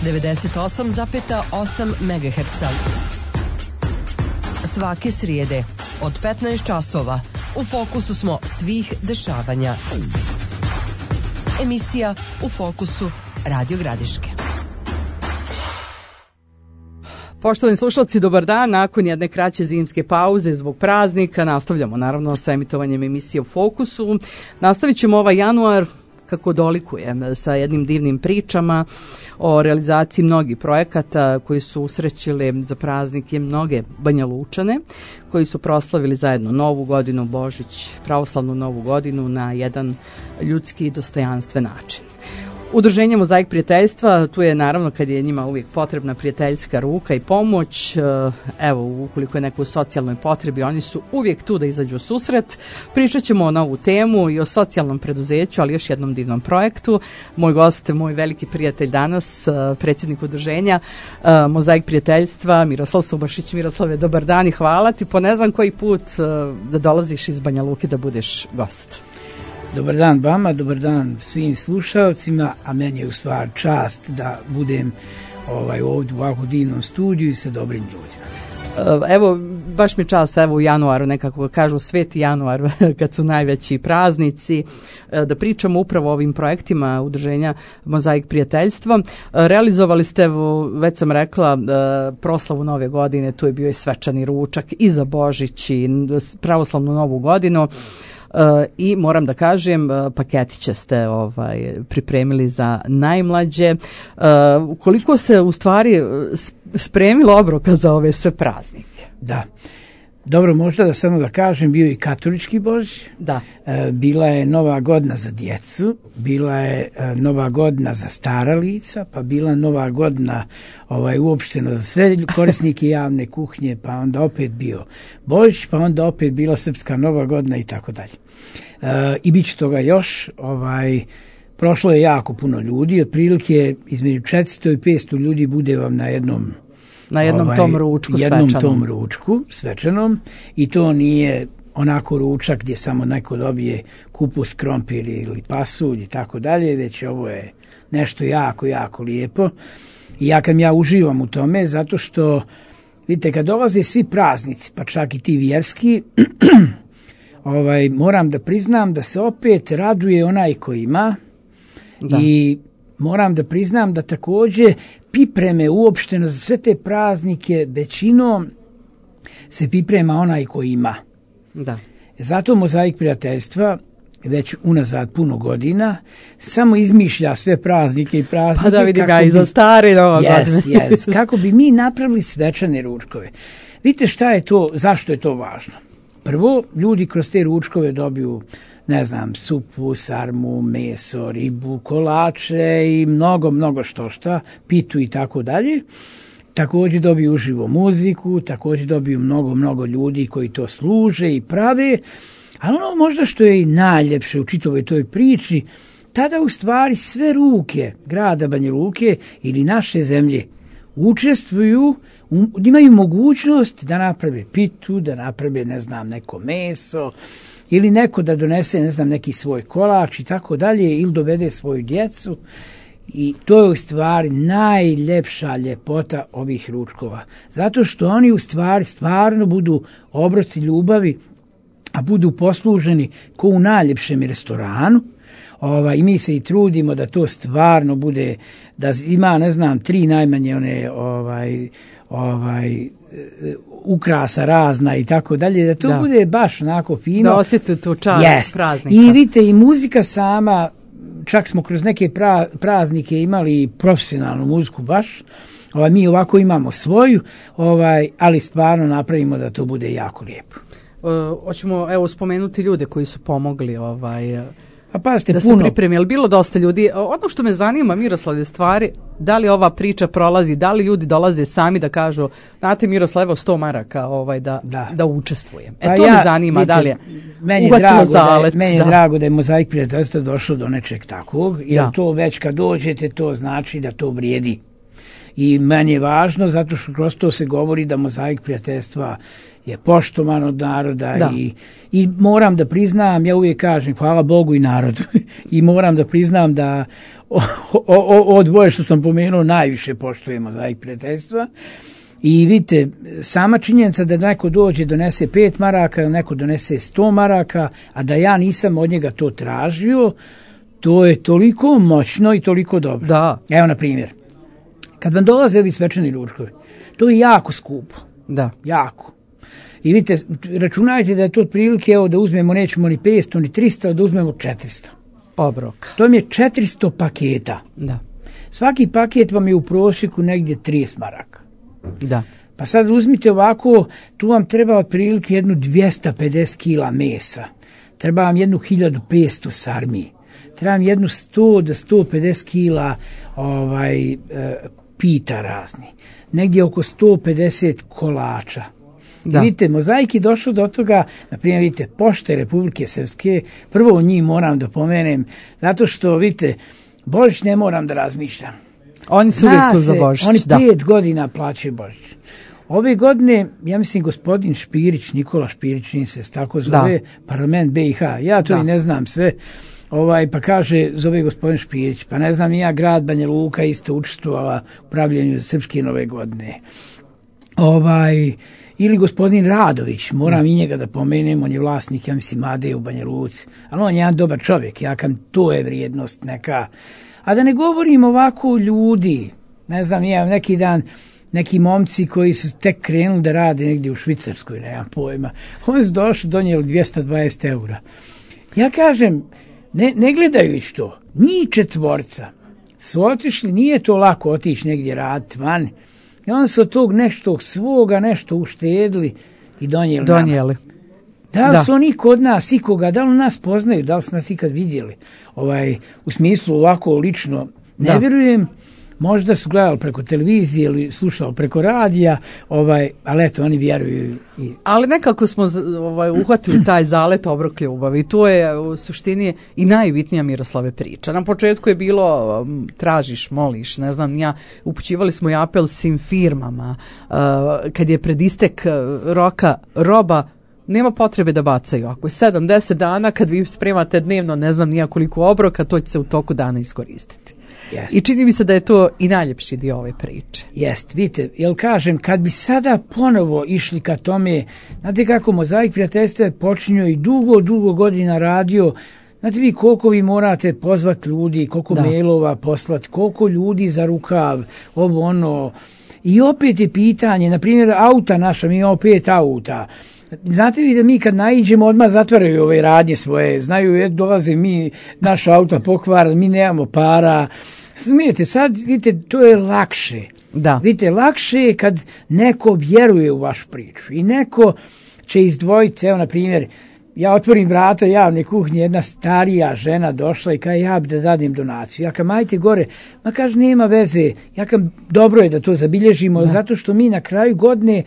98,8 MHz. Svake srijede od 15 časova u fokusu smo svih dešavanja. Emisija U fokusu Radio Gradiške. Poštovani slušalci, dobar dan. Nakon jedne kraće zimske pauze zbog praznika nastavljamo naravno sa emitovanjem emisije U fokusu. Nastavit ćemo ovaj januar kako dolikuje sa jednim divnim pričama o realizaciji mnogih projekata koji su usrećili za praznike mnoge Banjalučane koji su proslavili zajedno Novu godinu, Božić, pravoslavnu Novu godinu na jedan ljudski i dostojanstven način. Udruženje Mozaik prijateljstva, tu je naravno kad je njima uvijek potrebna prijateljska ruka i pomoć, evo ukoliko je neko u socijalnoj potrebi, oni su uvijek tu da izađu u susret. Pričat ćemo o novu temu i o socijalnom preduzeću, ali još jednom divnom projektu. Moj gost, moj veliki prijatelj danas, predsjednik udruženja Mozaik prijateljstva, Miroslav Subašić. Miroslave, dobar dan i hvala ti po ne znam koji put da dolaziš iz Banja Luke da budeš gost. Dobar dan vama, dobar dan svim slušalcima, a meni je u stvari čast da budem ovdje u ovako divnom studiju i sa dobrim ljudima. Evo, baš mi čast, evo u januaru, nekako kažu Sveti januar, kad su najveći praznici, da pričamo upravo o ovim projektima udruženja Mozaik prijateljstva. Realizovali ste, već sam rekla, proslavu Nove godine, tu je bio i svečani ručak i za Božić i pravoslavnu Novu godinu. I moram da kažem, paketiće ste pripremili za najmlađe. Koliko se u stvari spremilo obroka za ove sve praznike? Da. Dobro, možda da samo da kažem, bio i katolički Božić, da. Bila je Nova godina za djecu, bila je Nova godina za stara lica, pa bila Nova godina uopšteno za sve korisnike javne kuhnje, pa onda opet bio Božić, pa onda opet bila Srpska Nova godina i tako dalje. I bit će toga još, prošlo je jako puno ljudi, otprilike između 400 i 500 ljudi bude vam na jednom tom ručku tom ručku svečanom, i to nije onako ručak gdje samo neko dobije kupus, krompir ili pasulj i tako dalje, već ovo je nešto jako, jako lijepo. I ja uživam u tome, zato što vidite, kad dolaze svi praznici, pa čak i ti vjerski, moram da priznam da se opet raduje onaj ko ima. Da. I moram da priznam da također pripreme uopšteno za sve te praznike većinom se priprema onaj ko ima. Da. Zato Mozaik prijateljstva već unazad puno godina samo izmišlja sve praznike i praznike. Pa da vidi ga i za stare Nova godina. Kako bi mi napravili svečane ručkove. Vidite šta je to, zašto je to važno? Prvo, ljudi kroz te ručkove dobiju, ne znam, supu, sarmu, meso, ribu, kolače i mnogo šta, pitu i tako dalje. Također dobiju uživo muziku, također dobiju mnogo ljudi koji to služe i prave. Ali ono možda što je i najljepše u čitavoj toj priči, tada u stvari sve ruke grada Banja Luke ili naše zemlje učestvuju, imaju mogućnost da naprave pitu, da naprave, ne znam, neko meso, ili neko da donese, ne znam, neki svoj kolač i tako dalje, ili dovede svoju djecu. I to je u stvari najljepša ljepota ovih ručkova. Zato što oni u stvari stvarno budu obroci ljubavi, a budu posluženi ko u najljepšem restoranu. I mi se i trudimo da to stvarno bude, da ima, ne znam, 3 najmanje ukrasa razna i tako dalje, da to bude baš onako fino. Da osjeti tu čast praznika. I vidite, i muzika sama, čak smo kroz neke praznike imali profesionalnu muziku baš, mi ovako imamo svoju, ali stvarno napravimo da to bude jako lijepo. Hoćemo spomenuti ljude koji su pomogli da se pripremi, ali bilo dosta ljudi. Ono što me zanima, Miroslave, stvari, da li ova priča prolazi, da li ljudi dolaze sami da kažu, znate Miroslavo, 100 maraka da učestvujem. To me zanima, da li je uvatilo zalet. Meni je drago da je Mozaik prijateljstva došlo do nečeg takvog, jer to već kad dođete, to znači da to vrijedi. I meni je važno, zato što kroz to se govori da Mozaik prijateljstva je poštovan od naroda i moram da priznam, ja uvijek kažem hvala Bogu i narodu, i moram da priznam da Od dvoje što sam pomenuo najviše poštujem mozaik prijateljstva. I vidite, sama činjenica da neko dođe donese 5 maraka, neko donese 100 maraka, a da ja nisam od njega to tražio, to je toliko moćno i toliko dobro. Da. Evo na primjer, kad vam dolaze ovi svečani ručkovi, to je jako skupo. Da. Jako. I vidite, računajte da je to otprilike, evo da uzmemo, nećemo ni 500 ni 300, da uzmemo 400. Obroka. To vam je 400 paketa. Da. Svaki paket vam je u prosjeku negdje 30 maraka. Da. Pa sad uzmite ovako, tu vam treba otprilike jednu 250 kila mesa. Treba vam jednu 1500 sarmi. Treba vam jednu 100 do 150 kila pita razni. Negdje oko 150 kolača. Da. Vidite, mozaik je došao do toga, na primjer, vidite, Pošte Republike Srpske, prvo o njih moram da pomenem, zato što, vidite, Božić ne moram da razmišljam. Oni su uvijek tu za Božić. Oni 5 godina plaćaju Božić. Ove godine, ja mislim, gospodin Špirić, Nikola Špirić, njim se tako zove, parlament BiH, ja to i ne znam sve, pa kaže, zove gospodin Špirić, pa ne znam, ja grad Banja Luka isto učestvovala u pravljenju Srpske nove godine. Ili gospodin Radović, moram i njega da pomenem, on je vlasnik, ja mislim, Made u Banja Luci, ali on je jedan dobar čovjek, to je vrijednost neka. A da ne govorim ovako ljudi, ne znam, neki dan, neki momci koji su tek krenuli da rade negdje u Švicarskoj, nemam pojma, oni su došli, donijeli 220 eura. Ja kažem, ne gledajući to, njih 4 su otišli, nije to lako otići negdje raditi van, i onda su od tog nešto svoga, nešto uštedili i donijeli. Nama. Da li su oni kod nas ikoga, da li nas poznaju, da li su nas ikad vidjeli, u smislu ovako lično, ne vjerujem, možda su gledali preko televizije ili slušali preko radija, ali eto, oni vjeruju. Ali nekako smo uhvatili taj zalet obrok ljubavi i to je u suštini i najbitnija Miroslave priča. Na početku je bilo tražiš, moliš, ne znam, upućivali smo i apel svim firmama, kad je pred istek roka roba, nema potrebe da bacaju. Ako je 7-10 dana, kad vi spremate dnevno, ne znam nija koliko obroka, to će se u toku dana iskoristiti. Jest. I čini mi se da je to i najljepši dio ove priče. Jest, vidite, jel kažem, kad bi sada ponovo išli ka tome, znate kako mozaik prijateljstva je počinio i dugo godina radio, znate vi koliko vi morate pozvati ljudi, koliko mailova poslati, koliko ljudi za rukav, i opet je pitanje, na primjer auta naša, mi imamo 5 auta. Znate vi da mi kad naiđemo odmah zatvaraju ove radnje svoje, znaju dolaze mi, naš auto pokvar, mi nemamo para. Smijete, sad vidite, to je lakše. Da. Vidite, lakše je kad neko vjeruje u vašu priču i neko će izdvojiti, evo na primjer, ja otvorim vrata javne kuhnje, jedna starija žena došla i kaže ja bi da dadim donaciju. Ja kažem ajte gore, ma kaže nema veze, ja kažem dobro je da to zabilježimo, zato što mi na kraju godine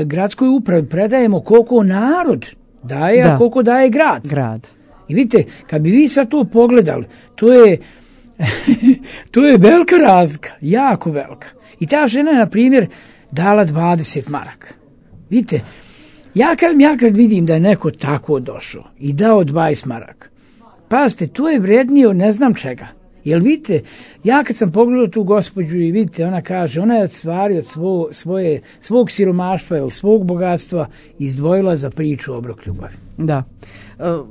gradskoj upravi predajemo koliko narod daje, a koliko daje grad. I vidite, kad bi vi sad to pogledali, to je velika razlika, jako velika. I ta žena je na primjer dala 20 maraka. Vidite, ja kad vidim da je neko tako došao i dao 20 maraka, pazite, to je vrednije od ne znam čega. Jer vidite, ja kad sam pogledao tu gospođu i vidite, ona kaže, ona je od stvari od svog siromaštva ili svog bogatstva izdvojila za priču obrok ljubavi. Da.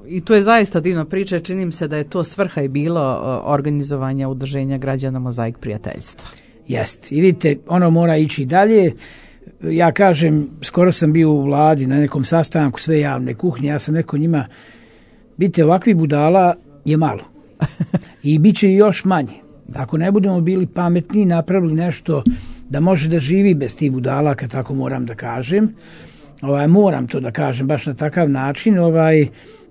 I to je zaista divna priča, čini mi se da je to svrha i bilo organizovanja udruženja građana Mozaik prijateljstva. Jest, i vidite, ono mora ići dalje. Ja kažem, skoro sam bio u vladi na nekom sastanku sve javne kuhnje, ja sam rekao njima, vidite, ovakvi budala je malo i bit će još manje. Ako ne budemo bili pametni, napravili nešto da može da živi bez tih budala, kad tako moram da kažem, moram to da kažem baš na takav način,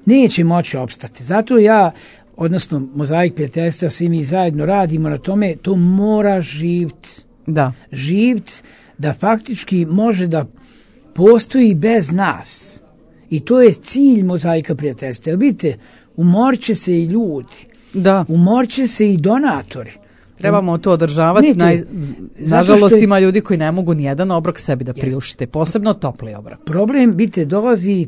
neće moći opstati. Zato ja, odnosno Mozaik prijateljstva, svi mi zajedno radimo na tome, to mora živjeti. Da. Živjeti da faktički može da postoji bez nas. I to je cilj Mozaika prijateljstva. Jer vidite, umorće se i ljudi. Da. Umorće se i donatori. Trebamo to održavati. Nažalost ima ljudi koji ne mogu nijedan obrok sebi da priuštite, posebno topli obrok. Problem, vidite, dolazi,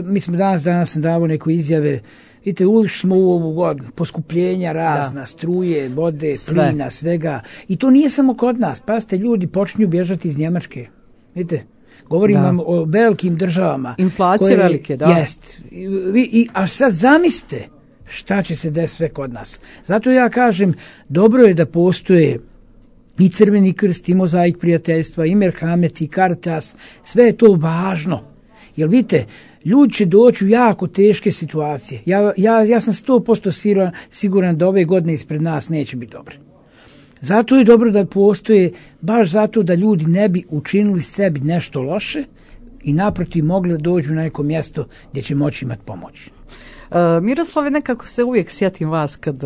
mi smo danas sam davao neku izjave, Vidite, ušli smo u ovu godinu, poskupljenja razna, struje, vode, plina, svega. I to nije samo kod nas. Pazite, ljudi počinju bježati iz Njemačke. Vidite, govorim vam o velikim državama. Inflacije velike, da. Jest. A sad zamislite šta će se desiti sve kod nas. Zato ja kažem, dobro je da postoje i Crveni krst, i Mozaik prijateljstva, i Merhamet, i Caritas, sve je to važno. Jer vidite, ljudi će doći u jako teške situacije. Ja sam 100% siguran da ove godine ispred nas neće biti dobre. Zato je dobro da postoje, baš zato da ljudi ne bi učinili sebi nešto loše i naprotiv mogli da dođu na neko mjesto gdje će moći imati pomoć. Miroslave, nekako se uvijek sjetim vas kad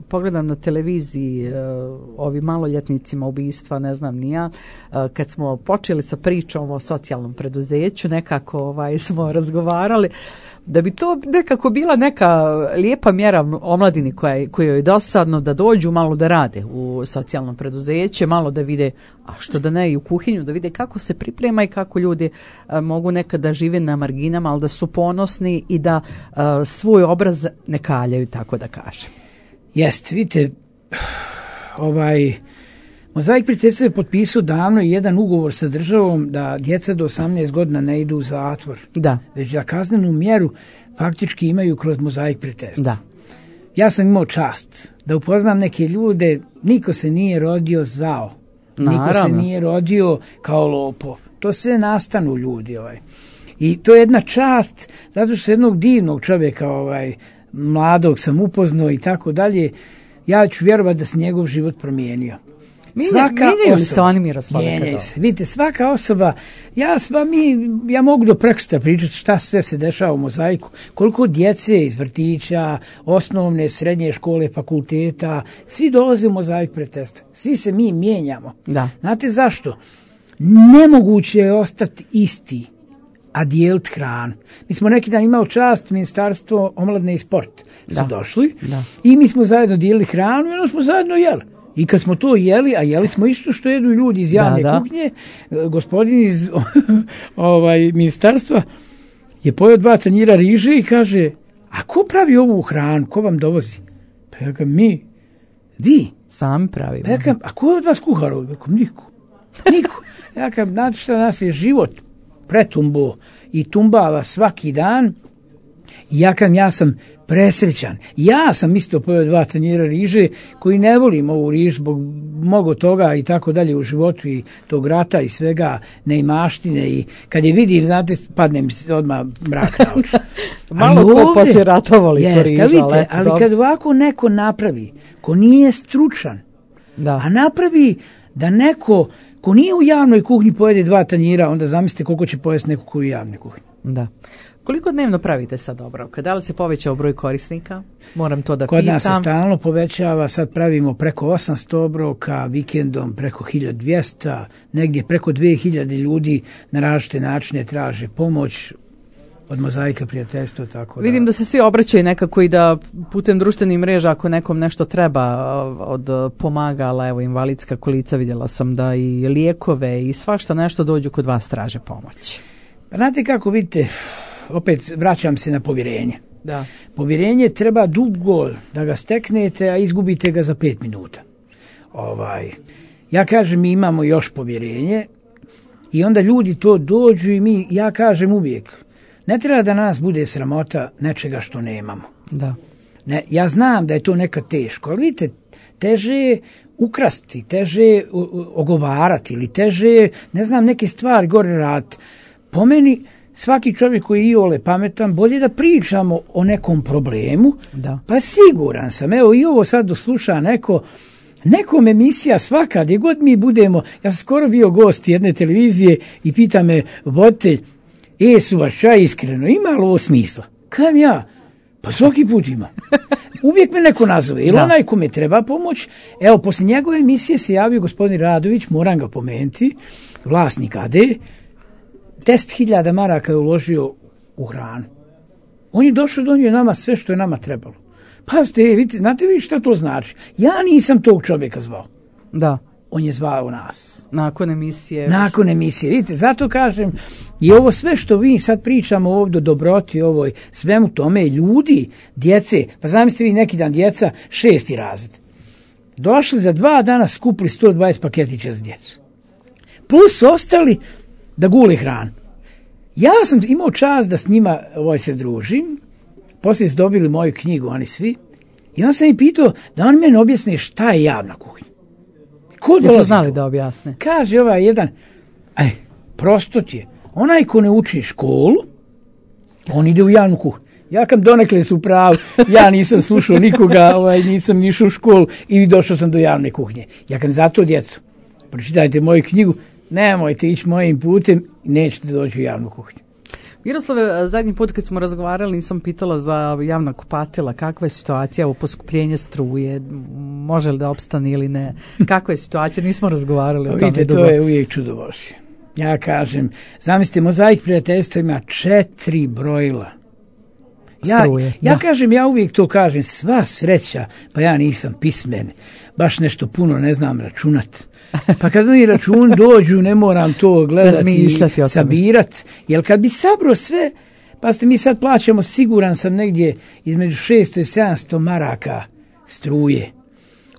pogledam na televiziji ovi maloljetnicima ubistva, ne znam ni ja, kad smo počeli sa pričom o socijalnom preduzeću, nekako smo razgovarali da bi to nekako bila neka lijepa mjera omladini koja je dosadno da dođu malo da rade u socijalnom preduzeće, malo da vide, a što da ne i u kuhinju, da vide kako se priprema i kako ljudi mogu nekada žive na marginama, ali da su ponosni i da svoj obraz ne kaljaju, tako da kažem. Jest, vidite, Mozaik prijateljstva je potpisao davno jedan ugovor sa državom da djeca do 18 godina ne idu u zatvor. Da. Već da kaznenu mjeru faktički imaju kroz Mozaik prijateljstva. Da. Ja sam imao čast da upoznam neke ljude, niko se nije rodio zao. Naravno. Niko se nije rodio kao lopov. To sve nastanu ljudi. I to je jedna čast, zato što jednog divnog čovjeka, mladog sam upoznao i tako dalje, ja ću vjerovati da se njegov život promijenio. Mijenjaju li se oni, Miroslave? Vidite, svaka osoba, ja mogu do prekosutra pričati šta sve se dešava u Mozaiku, koliko djece iz vrtića, osnovne, srednje škole, fakulteta, svi dolaze u Mozaik prijateljstva, svi se mi mijenjamo. Da. Znate zašto? Nemoguće je ostati isti, a dijeliti hranu. Mi smo neki dan imali čast, Ministarstvo omladine i sport su došli i mi smo zajedno dijelili hranu i onda smo zajedno jeli. I kad smo to jeli, a jeli smo isto što jedu ljudi iz javne kuhinje, gospodin iz ministarstva je pojeo 2 tanjira riže i kaže, a ko pravi ovu hranu, ko vam dovozi? Pa ja kažem, mi. Vi? Sami pravimo. Pa ja kažem, a ko je od vas kuhar? Niko. Ja kažem, znate šta, nas je život pretumbo i tumbala svaki dan. I ja sam presrećan. Ja sam isto pojeo 2 tanjira riže koji ne volim ovu riž zbog mnogo toga i tako dalje u životu i tog rata i svega neimaštine i kad je vidim, znate, padne mi se odmah mrak na oči. Malo ko poslije rata voli to riža, ali kad ovako neko napravi, ko nije stručan, a napravi da neko ko nije u javnoj kuhinji pojede 2 tanjira, onda zamislite koliko će pojesti neko ko je u javnoj kuhinji. Da. Koliko dnevno pravite sad obroka? Da li se povećao broj korisnika? Moram to da pitam. Kod nas se stalno povećava, sad pravimo preko 800 obroka, vikendom preko 1200, negdje preko 2000 ljudi na različite načine traže pomoć od Mozaika prijateljstva. Tako da. Vidim da se svi obraćaju nekako i da putem društvenih mreža ako nekom nešto treba od pomagala, evo invalidska kolica, vidjela sam da i lijekove i svašta nešto dođu kod vas traže pomoć. Znate kako, vidite, opet vraćam se na povjerenje. Da. Povjerenje treba dugo da ga steknete, a izgubite ga za 5 minuta. Ja kažem, mi imamo još povjerenje i onda ljudi to dođu i ja kažem uvijek, ne treba da nas bude sramota nečega što nemamo. Da. Ne, ja znam da je to nekad teško, ali vidite, teže je ukrasti, teže je ogovarati ili teže je, ne znam, neke stvari gore raditi. Po meni, svaki čovjek koji je iole pametan, bolje da pričamo o nekom problemu, pa siguran sam, evo i ovo sad dosluša nekom emisija svaka, gdje god mi budemo, ja sam skoro bio gost jedne televizije i pita me voditelj, Suvača, iskreno, ima li ovo smisla? Kajem ja, pa svaki put ima. Uvijek me neko nazove, ili onaj kome treba pomoć. Evo, poslije njegove emisije se javio gospodin Radović, moram ga pomenuti, vlasnik AD, 10.000 maraka je uložio u hranu. On je došao, donio nama sve što je nama trebalo. Pazite, vidite, znate vi šta to znači? Ja nisam tog čovjeka zvao. Da. on je zvao nas. Nakon emisije. Nakon emisije, vidite, zato kažem, i ovo sve što vi sad pričamo ovdje o dobroti, ovoj, svemu tome, ljudi, djece, pa zamislite vi neki dan djeca, 6. razred. Došli za 2 dana, skupili 120 paketića za djecu. Plus ostali da gule hranu. Ja sam imao čast da s njima se družim, poslije su dobili moju knjigu, oni svi, i onda sam ih pitao da oni meni objasne šta je javna kuhinja. Ko dolazi? Jesu znali da objasne? Kaže ovaj jedan, prosto ti je, onaj ko ne uči školu, on ide u javnu kuhinju. Ja kam donekle su pravi, ja nisam slušao nikoga, nisam išao u školu i došao sam do javne kuhinje. Ja kam zato djecu, pročitajte moju knjigu, nemojte ići mojim putem i nećete doći u javnu kuhinju. Miroslave, zadnji put kad smo razgovarali nisam pitala za javna kupatila, kakva je situacija u poskupljenje struje, može li da opstane ili ne, kakva je situacija, nismo razgovarali o tome. Vidite, to je uvijek čudo Božje. Ja kažem, zamislite, Mozaik prijateljstva ima 4 brojila. Ja kažem, ja uvijek to kažem, sva sreća, pa ja nisam pismen, baš nešto puno ne znam računat. Pa kad oni račun dođu, ne moram to gledati i sabirati, jer kad bi sabro sve, pa ste mi sad plaćamo, siguran sam negdje između 600 i 700 maraka struje.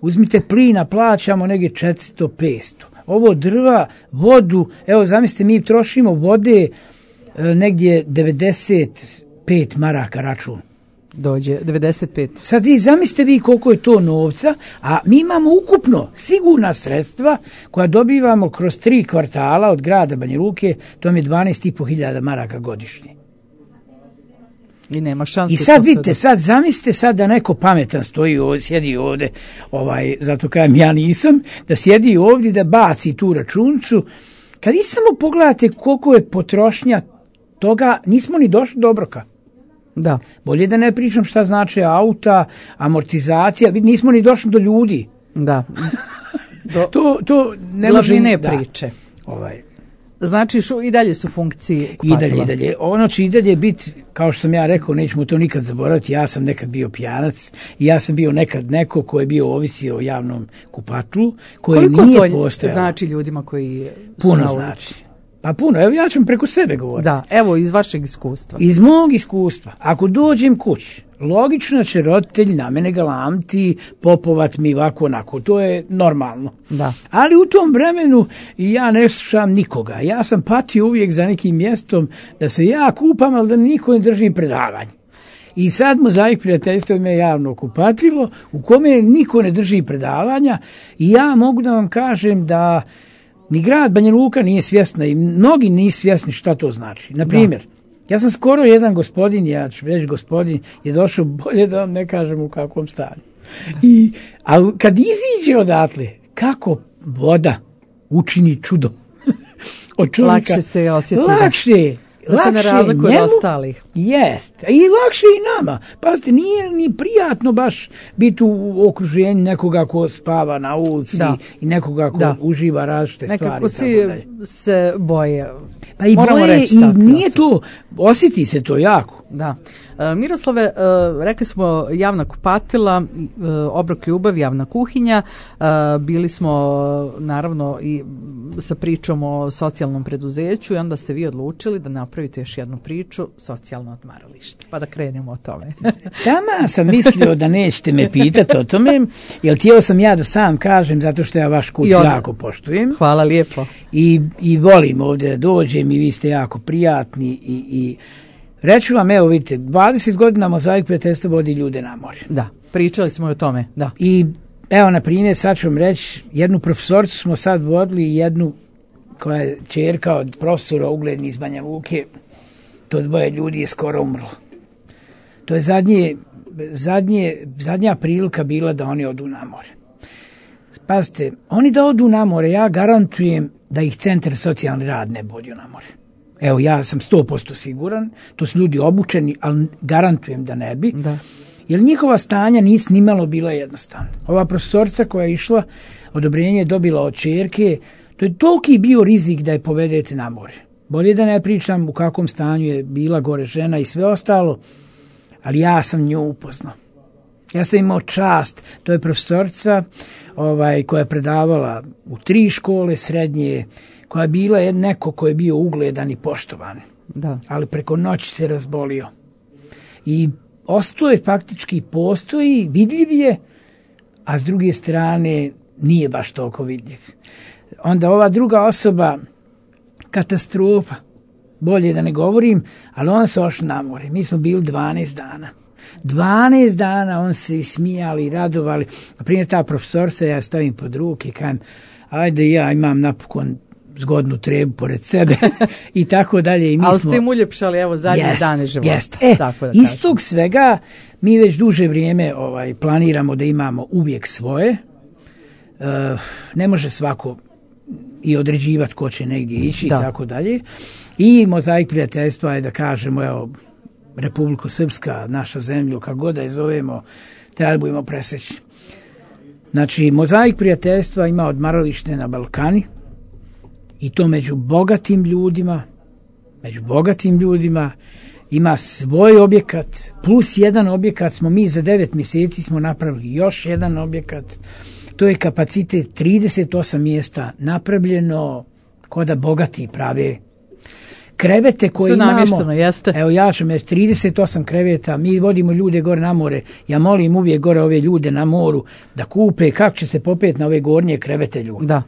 Uzmite plina, plaćamo negdje 400-500. Ovo drva, vodu, evo zamislite, mi trošimo vode negdje 95 maraka račun. Dođe 95. Sad zamislite vi koliko je to novca, a mi imamo ukupno sigurna sredstva koja dobivamo kroz 3 kvartala od grada Banja Luke, to je 12.500 maraka godišnje. I nema šanse. I sad vidite, sad zamislite sad da neko pametan stoji ovdje, sjedi ovdje, zato kažem ja nisam, da sjedi ovdje da baci tu računcu, kad vi samo pogledate koliko je potrošnja toga, nismo ni došli do obroka. Da. Bolje da ne pričam šta znači auta, amortizacija, nismo ni došli do ljudi. Da. To ne može ne priče. Znači i dalje su funkcije kupatila. I dalje. Ono će i dalje biti, kao što sam ja rekao, nećemo to nikad zaboraviti, ja sam nekad bio pijanac i ja sam bio nekad neko ko je bio ovisio o javnom kupatlu, koji nije postojao. Koliko to znači ljudima koji puno znači. Pa puno, evo ja ću preko sebe govoriti. Da, evo iz vašeg iskustva. Iz mog iskustva. Ako dođem kući, logično će roditelj na mene galamti, popovat mi ovako onako, to je normalno. Da. Ali u tom vremenu ja ne slušam nikoga. Ja sam patio uvijek za nekim mjestom da se ja kupam, ali da niko ne drži predavanje. I sad Mozaik prijateljstva ima javno kupatilo u kome niko ne drži predavanja i ja mogu da vam kažem da ni grad Banja Luka nije svjesna i mnogi nisu svjesni šta to znači. Na primjer, ja sam skoro jedan gospodin, ja ću reći gospodin, je došao, bolje da vam ne kažem u kakvom stanju. A kad iziđe odatle, kako voda učini čudo od čovjeka. Lakše se osjeti. Da se ne razlikuje od ostalih. Jest. I lakše i nama. Pazite, nije ni prijatno baš biti u okruženju nekoga ko spava na ulici i nekoga ko uživa različite stvari. Nekako se boje. Pa i boje i nije to, osjeti se to jako. Da. Miroslave, rekli smo javna kupatila, obrok ljubav, javna kuhinja, bili smo naravno i sa pričom o socijalnom preduzeću i onda ste vi odlučili da napravite još jednu priču, socijalno odmaralište, pa da krenemo o tome. Tama sam mislio da nećete me pitati o tome, jer htio sam ja da sam kažem, zato što ja vaš kuć jako poštujem. Hvala lijepo. I volim ovdje da dođem i vi ste jako prijatni i reću vam, evo vidite, 20 godina Mozaik prijateljstva vodi ljude na more. Da, pričali smo o tome, da. I evo, na primjer, sad ću vam reći, jednu profesoricu smo sad vodili i jednu koja je ćerka od profesora ugledni iz Banja Luke, to 2 ljudi je skoro umrlo. To je zadnja prilika bila da oni odu na more. Pazite, oni da odu na more, ja garantujem da ih centar socijalni rad ne bodio na more. Evo, ja sam 100% siguran, to su ljudi obučeni, ali garantujem da ne bi. Da. Jer njihova stanja nisu nimalo bila jednostavna. Ova profesorica koja je išla, odobrenje je dobila od ćerke, to je toliki bio rizik da je povedete na more. Bolje da ne pričam u kakvom stanju je bila gore žena i sve ostalo, ali ja sam nju upoznao. Ja sam imao čast, to je profesorica koja je predavala u 3 škole srednje, koja je bila neko ko je bio ugledan i poštovan. Da. Ali preko noći se razbolio. I ostao faktički postoji, vidljiv je, a s druge strane nije baš toliko vidljiv. Onda ova druga osoba, katastrofa, bolje da ne govorim, ali on se ošao na more. Mi smo bili 12 dana. 12 dana on se smijali i radovali. Naprimjer, ta profesorca, ja stavim pod ruke i kažem, ajde ja imam napokon zgodnu trebu pored sebe i tako dalje. I mi ali ste im uljepšali, evo, zadnje dane života. Jest. Iz tog svega mi već duže vrijeme planiramo da imamo uvijek svoje. Ne može svako i određivati ko će negdje ići i tako dalje. I Mozaik prijateljstva je, da kažemo, evo, Republika Srpska, naša zemlju, kako god da je zovemo, trebujemo preseći. Znači, Mozaik prijateljstva ima odmaralište na Balkani i to među bogatim ljudima, ima svoj objekat, plus jedan objekat smo mi za 9 mjeseci smo napravili još jedan objekat. To je kapacitet 38 mjesta napravljeno ko da bogati prave. Krevete koje imamo, evo ja ću reći 38 kreveta, mi vodimo ljude gore na more, ja molim uvijek gore ove ljude na moru da kupe kako će se popeti na ove gornje krevete ljudi. Da.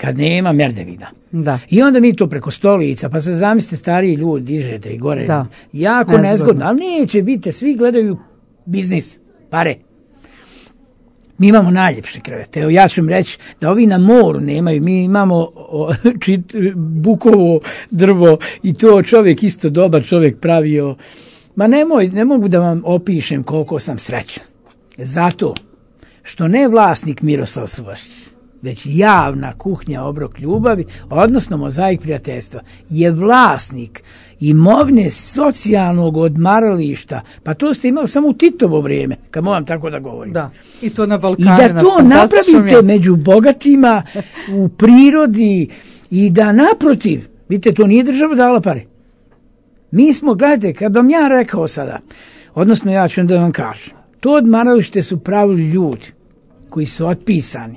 Kad nema merdevina. Da. I onda mi to preko stolica, pa se zamislite stariji ljudi dižete i gore. Da. Jako nezgodno, ali neće biti, svi gledaju biznis, pare. Mi imamo najljepše krevete. Evo ja ću vam reći da ovi na moru nemaju. Mi imamo bukovo drvo i to čovjek isto dobar čovjek pravio. Ma ne mogu da vam opišem koliko sam srećan. Zato što ne vlasnik Miroslav Suvašić, već javna kuhinja Obrok ljubavi, odnosno Mozaik prijateljstva, je vlasnik imovine socijalnog odmarališta. Pa to ste imali samo u Titovo vrijeme, kad moram tako da govorim. Da, i to na Balkanu. I da to napravite među bogatima, u prirodi, i da naprotiv, vidite, to nije država dala pare. Mi smo, gledajte, kad vam ja rekao sada, odnosno ja ću da vam kažem, to odmaralište su pravili ljudi koji su otpisani.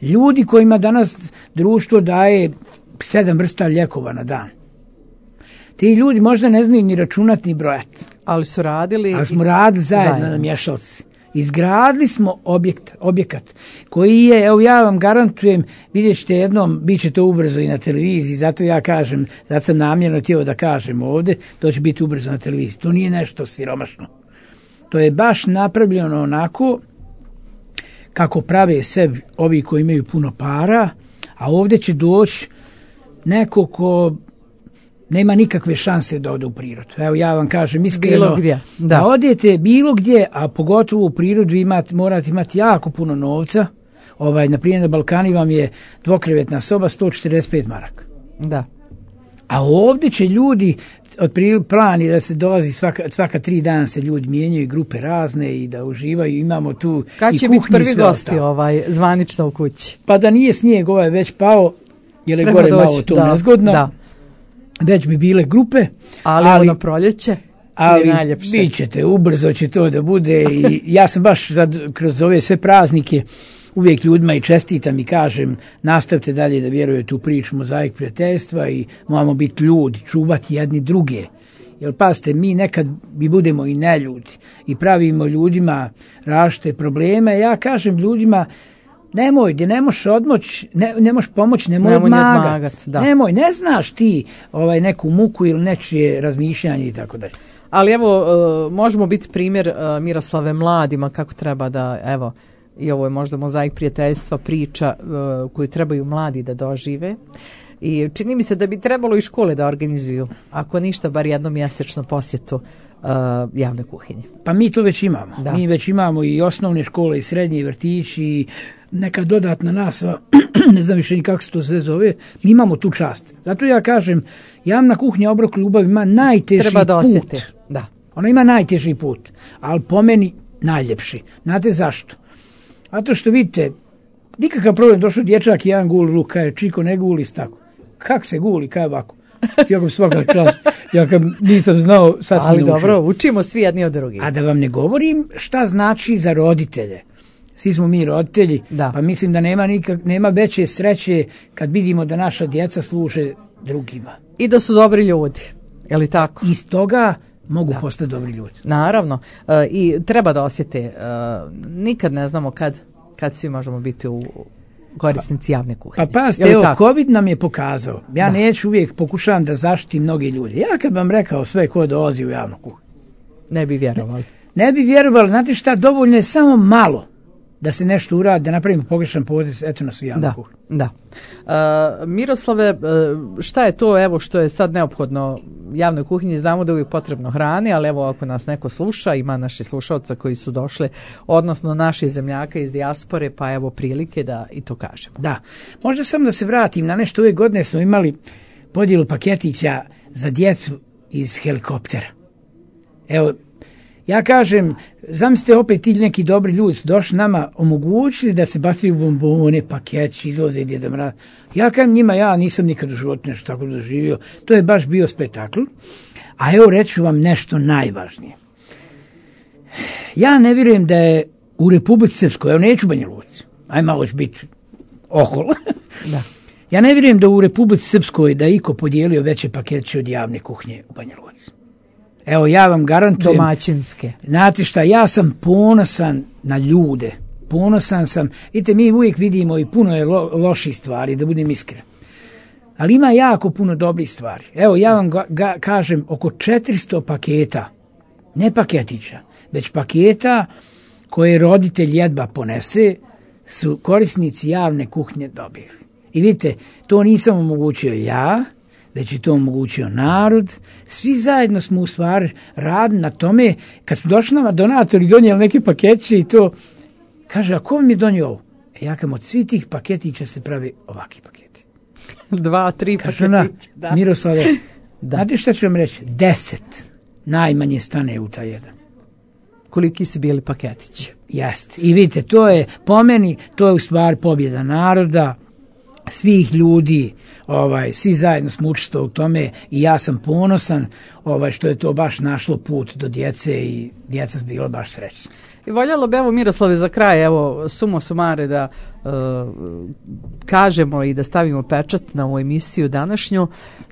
Ljudi kojima danas društvo daje 7 vrsta lijekova na dan. Ti ljudi možda ne znaju ni računati ni brojati. Ali su radili. Ali smo radili zajedno na mješalci. Izgradili smo objekat koji je, evo ja vam garantujem, vidjet ćete jednom, bit će to ubrzo i na televiziji, zato ja kažem, zato sam namjerno htio da kažem ovdje, to će biti ubrzo na televiziji. To nije nešto siromašno. To je baš napravljeno onako kako prave sebi ovi koji imaju puno para, a ovdje će doći neko ko nema nikakve šanse da ode u prirodu. Evo ja vam kažem iskreno, da odete bilo gdje, a pogotovo u prirodu morate imati jako puno novca. Na primjer na Balkani vam je dvokrevetna soba 145 maraka. Da. A ovdje će ljudi, plan je da se dolazi svaka 3 dana se ljudi mijenjaju, grupe razne i da uživaju, imamo tu kad će biti prvi gosti zvanično u kući? Pa da nije snijeg već pao, jer je gore malo to nezgodno. Da. Već bi bile grupe. Ali na proljeće? Ali bit ćete, ubrzo će to da bude i ja sam baš kroz ove sve praznike uvijek ljudima i čestitam i kažem nastavite dalje da vjerujete u priču Mozaik prijateljstva i moramo biti ljudi, čuvati jedni druge. Jer pazite, mi nekad budemo i neljudi i pravimo ljudima različite probleme. Ja kažem ljudima nemoj, gdje ne možeš odmoći, ne možeš pomoći, nemoj odmagati. Nemoj, ne znaš ti neku muku ili nečije razmišljanje i tako dalje. Ali evo, možemo biti primjer Miroslave mladima kako treba da, evo, i ovo je možda Mozaik prijateljstva priča koju trebaju mladi da dožive. I čini mi se da bi trebalo i škole da organizuju, ako ništa, bar jednom mjesečno posjetu javne kuhinje. Pa mi to već imamo. Da. Mi već imamo i osnovne škole i srednje i vrtići i neka dodatna nastava, ne znam više ni kako se to sve zove, mi imamo tu čast. Zato ja kažem, javna kuhinja Obrok ljubavi ima najteži put. Da. Ona ima najteži put, ali po meni najljepši. Znate zašto? Zato što vidite, nikakav problem, došao dječak i jedan guli luk, kaže Čiko ne guli tako. Kako se guli, kaj ovako? Jako svaka čast. Ja kad nisam znao, sad smo Ali naučili. dobro, učimo svi jedni od drugih. A da vam ne govorim šta znači za roditelje. Svi smo mi roditelji, Da. pa mislim da nema veće sreće kad vidimo da naša djeca služe drugima. I da su dobri ljudi, je li tako? Iz toga mogu postati dobri ljudi. Naravno, i treba da osjete, nikad ne znamo kad svi možemo biti u korisnici javne kuhinje. Pa pazite, evo, COVID nam je pokazao. Ja neću uvijek pokušavam da zaštitim mnogi ljudi. Ja kad vam rekao sve ko dolazi u javnu kuhinju. Ne bi vjerovali. Ne bi vjerovali, znate šta, dovoljno je samo malo da se nešto uradi, da napravimo pogrešan potez, eto nas u javnu kuhinju. Da. Miroslave, šta je to evo što je sad neophodno javnoj kuhinji? Znamo da je uvijek potrebno hrane, ali evo ako nas neko sluša, ima naši slušalca koji su došli, odnosno naši zemljaka iz dijaspore, pa evo prilike da i to kažemo. Da, možda samo da se vratim na nešto, ove godine smo imali podjelu paketića za djecu iz helikoptera. Evo, ja kažem, zamislite opet ti neki dobri ljudi su došli nama, omogućili da se bacaju bombone, paketići, izlaze Djeda Mraz. Ja kažem njima, ja nisam nikad u životu nešto tako doživio, to je baš bio spektakl. A evo reću vam nešto najvažnije. Ja ne vjerujem da je u Republici Srpskoj, evo neću Banja Luci, aj malo će biti ohol. Da. Ja ne vjerujem da u Republici Srpskoj da iko podijelio veće paketiće od javne kuhnje u Banja Luci. Evo ja vam garantujem. Domaćinske. Znate šta, ja sam ponosan na ljude. Ponosan sam. Vidite, mi uvijek vidimo i puno je loših stvari, da budem iskren. Ali ima jako puno dobrih stvari. Evo ja vam kažem oko 400 paketa, ne paketića, već paketa koje roditelj jedva ponese, su korisnici javne kuhnje dobili. I vidite, to nisam omogućio ja, već je to omogućio narod. Svi zajedno smo u stvari radili na tome. Kad smo došli nama donatori donijeli neke paketiće i to, kaže, a ko vam je donio ovo? Ja kam od svih tih paketića se pravi ovakvi paketi. 2-3 paketića. Da. Miroslave, znate šta ću vam reći? 10 najmanje stane u taj jedan. Koliki su bili paketići? Jeste. I vidite, to je po meni, to je u stvari pobjeda naroda, svih ljudi, svi zajedno smo učestvovali u tome i ja sam ponosan što je to baš našlo put do djece i djeca su bila baš srećna. I voljelo bi, evo Miroslave, za kraj, evo sumo sumare da kažemo i da stavimo pečat na ovu emisiju današnju,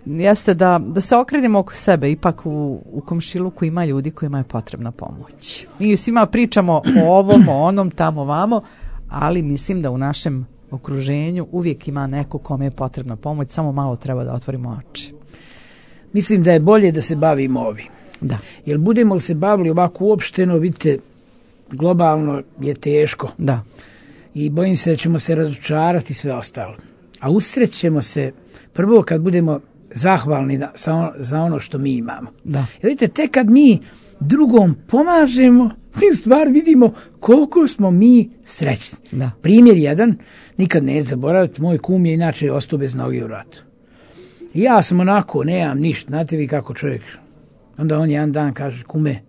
jeste da se okrenemo oko sebe, ipak u komšiluku ima ljudi kojima je potrebna pomoć. Mi svima pričamo o ovom, o onom, tamo, vamo, ali mislim da u našem okruženju uvijek ima neko kome je potrebna pomoć, samo malo treba da otvorimo oči. Mislim da je bolje da se bavimo ovim. Da. Jer budemo li se bavili ovako uopšteno, vidite, globalno je teško. Da. I bojim se da ćemo se razočarati sve ostalo. A usrećemo se prvo kad budemo zahvalni za ono što mi imamo. Da. Jer vidite, tek kad mi drugom pomažemo, mi u stvari vidimo koliko smo mi srećni. Da. Primjer jedan, nikad neću zaboraviti, moj kum je inače ostao bez noge u ratu. I ja sam onako, nemam ništa, znate vi kako čovjek. Onda on jedan dan kaže, kume,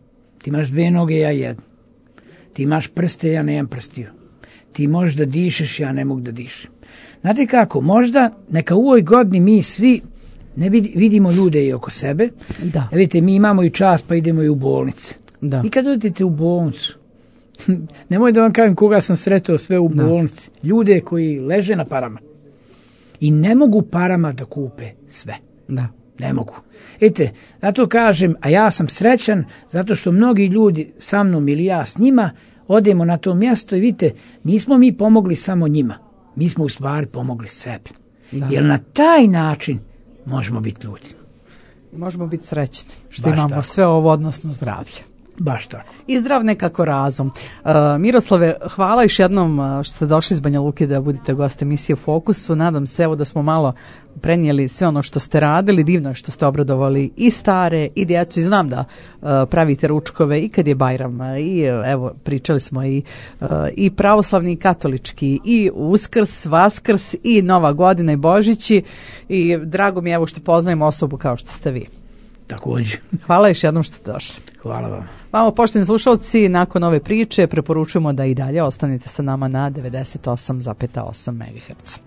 ti imaš 2 noge, ja 1. Ti imaš prste, ja nemam prstiju. Ti možeš da dišeš, ja ne mogu da dišem. Znate kako, možda neka u ovoj godini mi svi ne vidimo ljude i oko sebe. Da. Vidite, mi imamo i čas pa idemo i u bolnice. Da. I kad odete u bolnicu, nemoj da vam kažem koga sam sretao sve u bolnici. Ljude koji leže na parama i ne mogu parama da kupe sve. Da. Ne mogu. Vidite, zato kažem, a ja sam srećan zato što mnogi ljudi sa mnom ili ja s njima odemo na to mjesto i vidite, nismo mi pomogli samo njima. Mi smo u stvari pomogli sebi. Da. Jer na taj način možemo biti ljudi. Možemo biti srećni što baš imamo tako. Sve ovo, odnosno zdravlje. Baš tako. I zdrav nekako razum. Miroslave, hvala još jednom što ste došli iz Banja Luke da budete gost emisije u Fokusu. Nadam se evo da smo malo prenijeli sve ono što ste radili. Divno je što ste obradovali i stare i djecu. I znam da pravite ručkove i kad je Bajram. I evo pričali smo i pravoslavni i katolički i Uskrs, Vaskrs i Nova godina i Božići. I drago mi je evo što poznajem osobu kao što ste vi. Također. Hvala još jednom što ste došli. Hvala vam. Vamo, poštovani slušalci, nakon ove priče preporučujemo da i dalje ostanete sa nama na 98,8 MHz.